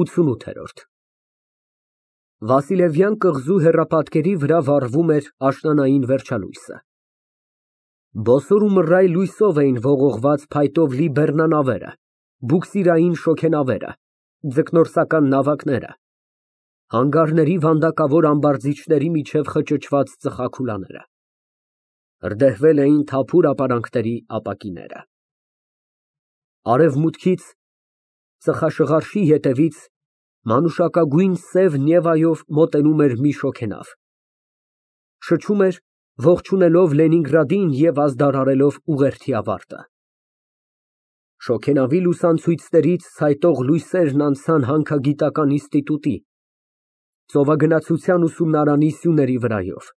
ՈՒԹՈՒՆՈՒԹԵՐՈՐԴ Վասիլևյան կղզու հեռապատկերի վրա վառվում էր աշնանային վերջալույսը։ Բոսոր ու մռայլ լույսով էին ողողված փայտով լի բեռնանավերը, բուքսիրային շոգենավերը, ձկնորսական նավակները, հանգարների վանդակավոր ամբարձիչների միջև խճճված ծխախուլաները։ Հրդեհվել էին թափուր ապարանքների ապակիները։ Արևմուտքից, ծխաշղարշի ետևից մանուշակագույն սև Նևայով մոտենում էր մի շոգենավ, շչում էր, ողջունելով Լենինգրադին և ազդարարելով ուղերձի ավարտը։ Շոգենավի լուսանցույցներից ցայտող լույսերն անցան հանքագիտական ինստիտուտի, ծովագնացության ուսումնարանի սյուների վրայով,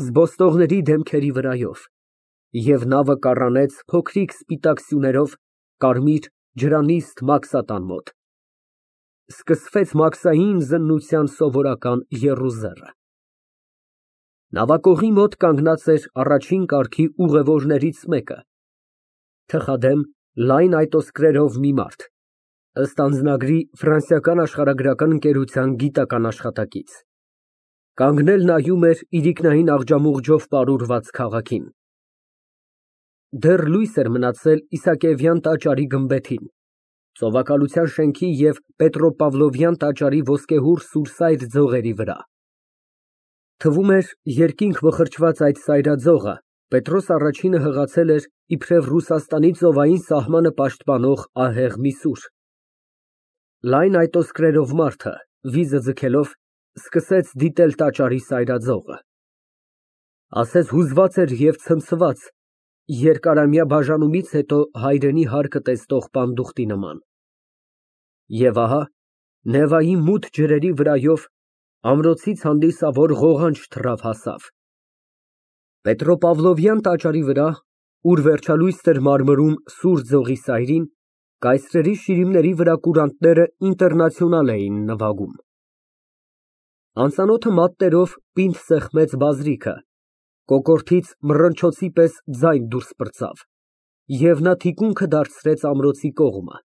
զբոսնողների դեմքերի վրայով, և նավը կառանեց փոքրիկ սպիտակ սյուներով կարմիր ջրանիստ մաքսատան մոտ։ Սկսվեց մաքսային զննության սովորական եռուզեռը։ Նավակողի մոտ կանգնած էր առաջին կարգի ուղևորներից մեկը, թխադեմ, լայն այտոսկրերով մի մարդ, ըստ անձնագրի ֆրանսիական աշխարհագրական ընկերության գիտական աշխատակից, կանգնել նայում էր իրիկնային աղջամուղջով պարուրված քաղաքին։ Դեռ լույս էր մնացել Իսակիևյան տաճարի գմբեթին, ծովակալության շենքի և Պետրոպավլովյան տաճարի ոսկեհուռ սուրսայր ձողերի վրա։ Թվում էր, երկինք մխրճված այդ սայրաձողը Պետրոս Առաջինը հղացել էր իբրև Ռուսաստանի ծովային սահմանը պաշտպանող ահեղ մի սուր։ Լայն այտոսկրերով մարդը, վիզը ձգելով, սկսեց դիտել տաճարի սայրաձողը։ Ասես հուզված էր և ցնցված, երկարամյա բաժանումից հետո հայրենի հարկը տեսնող պանդուխտի նման։ Եվ ահա, Նևայի մութ ջրերի վրայով ամրոցից հանդիսավոր ղողանջ թռավ հասավ։ Պետրոպավլովյան տաճարի վրա, ուր վերջալույս էր մարմրում սուր ձողի սայրին, կայսրերի շիրիմների վրա կուրանտները Ինտերնացիոնալ էին նվագում։ Անծանոթը մատներով պինդ սեղմեց բազրիքը, կոկորդից մռնչոցի պես ձայն դուրս պրծավ, և նա թիկունքը դարձրեց ամրոցի կողմը։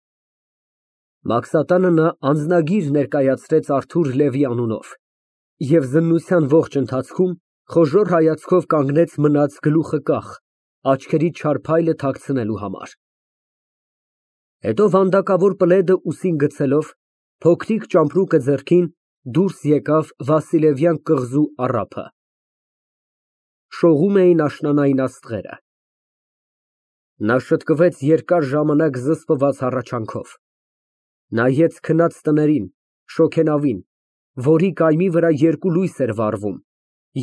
Մաքսատանը նա անձնագիր ներկայացրեց Արթուր Լևի անունով և զննության ողջ ընթացքում խոժոռ հայացքով կանգնեց մնաց գլուխը կախ, աչքերից չար փայլը թաքցնելու համար։ Հետո վանդակավոր պլեդը ուսին գցելով, փոքրիկ ճամպրուկը ձեռքին, դուրս եկավ Վասիլևյան կղզու առափը։ Շողում էին աշնանային աստղերը։ Նա շտկվեց երկար ժամանակ զսպված հառաչանքով, նայեց քնած տներին, շոգենավին, որի կայմի վրա երկու լույս էր վառվում,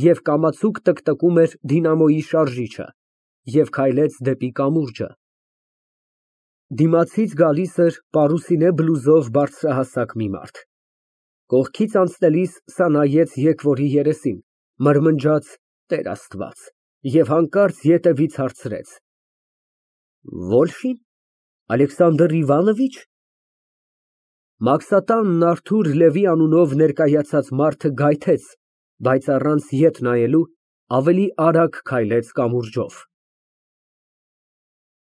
և կամացուկ տկտկում էր դինամոյի շարժիչը, և քայլեց դեպի կամուրջը։ Դիմացից գալիս էր պարուսինե բլուզով բարձրահասակ մի մարդ։ Կողքից անցնելիս սա նայեց եկվորի երեսին, մրմնջաց «Տեր Աստված» և հանկարծ ետևից հարցրեց. Վոլֆի՞ն, Ալեքսանդր Իվանովի՞չ։ Մաքսատանն Արթուր Լևի անունով ներկայացած մարդը գայթեց, բայց առանց ետ նայելու ավելի արագ քայլեց կամուրջով։